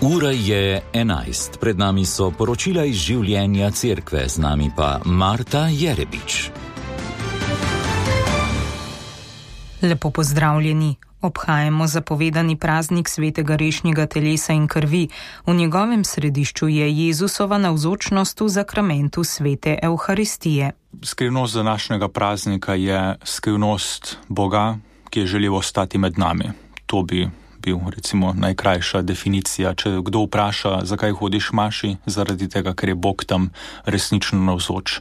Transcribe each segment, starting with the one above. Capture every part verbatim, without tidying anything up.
Ura je enajst, pred nami so poročila iz življenja cerkve, z nami pa Marta Jerebič. Lepo pozdravljeni. Obhajamo zapovedani praznik svetega rešnjega telesa in krvi. V njegovem središču je Jezusova navzočnost v zakramentu svete Evharistije. Skrivnost današnjega praznika je skrivnost Boga, ki je želel ostati med nami. To bi bil recimo najkrajša definicija. Če kdo vpraša, zakaj hodiš maši, zaradi tega, ker je Bog tam resnično navzoč.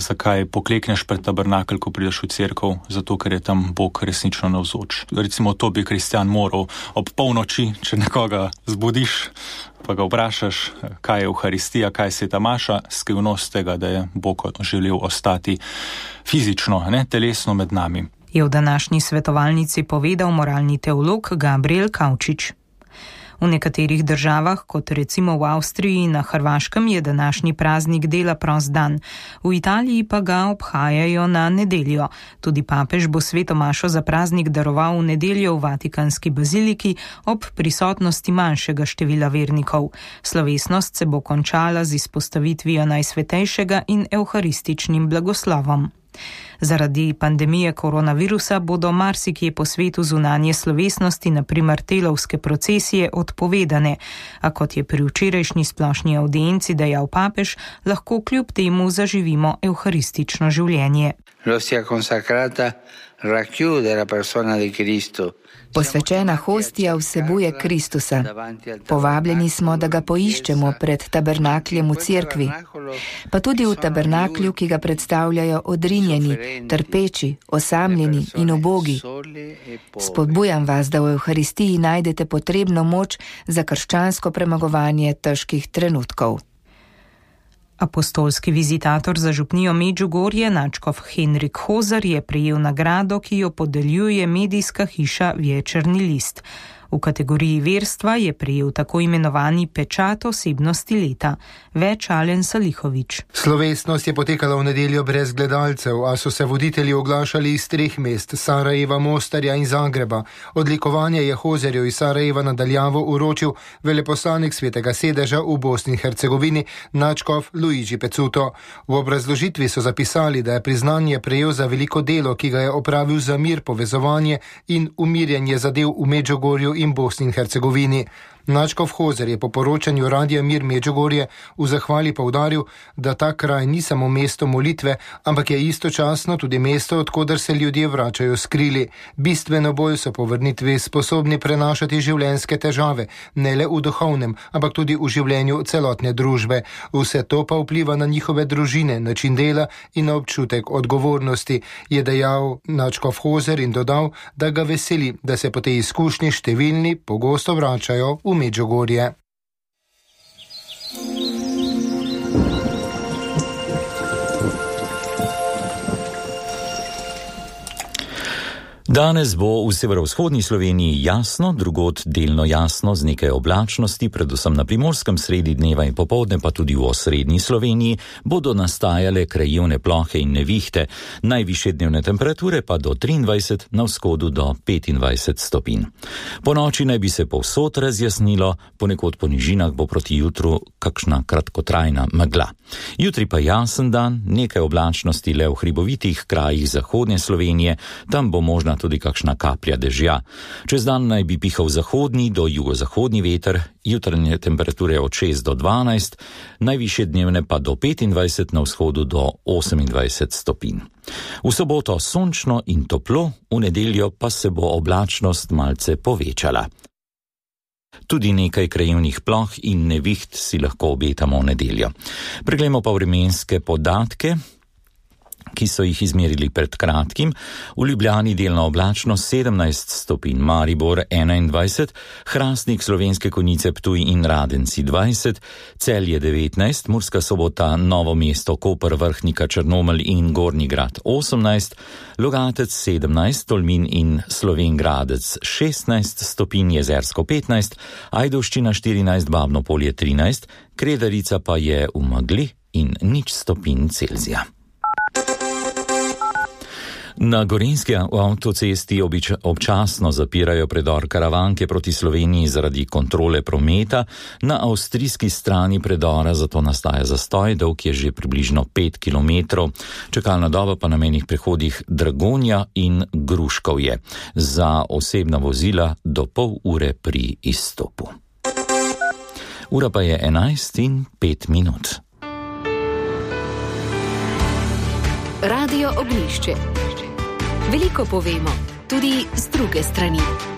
Zakaj poklekneš pred tabernakelj, ko prideš v cerkev, zato ker je tam Bog resnično navzoč. Recimo to bi kristjan moral ob polnoči, če nekoga zbudiš, pa ga vprašaš, kaj je Evharistija, kaj je sveta maša, skrivnost tega, da je Bog želel ostati fizično, ne telesno med nami. Je v današnji svetovalnici povedal moralni teolog Gabriel Kavčič. V nekaterih državah, kot recimo v Avstriji in na Hrvaškem, je današnji praznik dela prost dan. V Italiji pa ga obhajajo na nedeljo. Tudi papež bo sveto mašo za praznik daroval v nedeljo v Vatikanski baziliki ob prisotnosti manjšega števila vernikov. Slovesnost se bo končala z izpostavitvijo najsvetejšega in evharističnim blagoslovom. Zaradi pandemije koronavirusa bodo marsikje po svetu zunanje slovesnosti, na primer telovske procesije, odpovedane, a kot je pri včerajšnji splošni avdienci dejal papež, lahko kljub temu zaživimo evharistično življenje. Posvečena hostija vsebuje Kristusa. Povabljeni smo, da ga poiščemo pred tabernakljem v cerkvi, pa tudi v tabernaklju, ki ga predstavljajo odrinjeni, trpeči, osamljeni in ubogi. Spodbujam vas, da v Evharistiji najdete potrebno moč za krščansko premagovanje težkih trenutkov. Apostolski vizitator za župnijo Medžugorje, nadškof Henrik Hozar, je prejel nagrado, ki jo podeljuje medijska hiša Večerni list. V kategoriji verstva je prejel tako imenovani pečat osebnosti leta. Več Alen Salihovič. Slovesnost je potekala v nedeljo brez gledalcev, a so se voditelji oglašali iz treh mest, Sarajeva, Mostarja in Zagreba. Odlikovanje je Hozerju iz Sarajeva nadaljavo uročil veleposlanik Svetega sedeža v Bosni in Hercegovini, nadškof Luigi Pecuto. V obrazložitvi so zapisali, da je priznanje prejel za veliko delo, ki ga je opravil za mir, povezovanje in umirjanje zadev v Medžugorju in Bosni in Hercegovini. Nadškof Hozer je po poročanju Radia Mir Medžugorje v zahvali poudaril, da ta kraj ni samo mesto molitve, ampak je istočasno tudi mesto, odkoder se ljudje vračajo s krili. Bistveno bolj so po vrnitvi sposobni prenašati življenjske težave, ne le v duhovnem, ampak tudi v življenju celotne družbe. Vse to pa vpliva na njihove družine, način dela in na občutek odgovornosti, je dejal nadškof Hozer in dodal, da ga veseli, da se po tej izkušnji številni pogosto vračajo v Medžugorje. Danes bo v severovzhodni Sloveniji jasno, drugod delno jasno z nekaj oblačnosti, predvsem na Primorskem sredi dneva in popoldne, pa tudi v osrednji Sloveniji bodo nastajale krajevne plohe in nevihte, najvišje dnevne temperature pa do triindvajset, na vzhodu do petindvajset stopinj. Po noči naj bi se povsod razjasnilo, ponekod po nižinah bo proti jutru kakšna kratkotrajna megla. Jutri pa jasen dan, nekaj oblačnosti le v hribovitih krajih zahodne Slovenije, tam bo možna tudi kakšna kaplja dežja. Čez dan naj bi pihal zahodni do jugozahodni veter, jutranje temperature od šest do dvanajst, najvišje dnevne pa do petindvajset, na vzhodu do osemindvajset stopinj. V soboto sončno in toplo, v nedeljo pa se bo oblačnost malce povečala. Tudi nekaj krajevnih ploh in neviht si lahko obetamo v nedeljo. Preglejmo pa vremenske podatke, ki so jih izmerili pred kratkim. V Ljubljani delno oblačno sedemnajst stopinj, Maribor enaindvajset, Hrastnik, Slovenske Konjice, Ptuj in Radenci dvajset, Celje devetnajst, Murska Sobota, Novo mesto, Koper, Vrhnika, Črnomelj in Gornji Grad osemnajst, Logatec sedemnajst, Tolmin in Slovenj Gradec šestnajst stopinj, Jezersko petnajst, Ajdovščina štirinajst, Babno Polje trinajst, Kredarica pa je v megli in nič stopinj Celzija. Na gorenjski avtocesti obič, občasno zapirajo predor Karavanke proti Sloveniji zaradi kontrole prometa, na avstrijski strani predora zato nastaja zastoj, dolg je že približno pet kilometrov, čakalna doba pa na mejnih prehodih Dragonja in Gruškovje. Za osebna vozila do pol ure pri izstopu. Ura pa je enajst in pet minut. Radio Oglišče. Veliko povemo, tudi z druge strani.